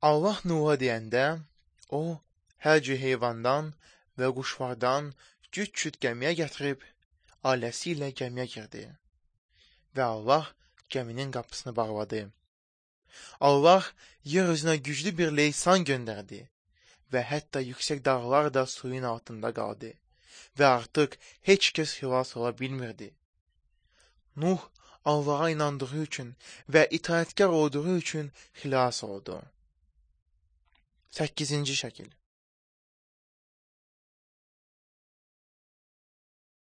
Allah Nuh'a deyəndə, o, hər cür heyvandan və quşlardan cüt-cüt gəmiyə gətirib, ailəsi ilə gəmiyə girdi və Allah gəminin qapısını bağladı. Allah yer üzünə güclü bir leysan göndərdi və hətta yüksək dağlar da suyun altında qaldı və artıq heç kəs xilas ola bilmirdi. Nuh Allah'a inandığı üçün və itaətkar olduğu üçün xilas oldu. 8-ci şəkil.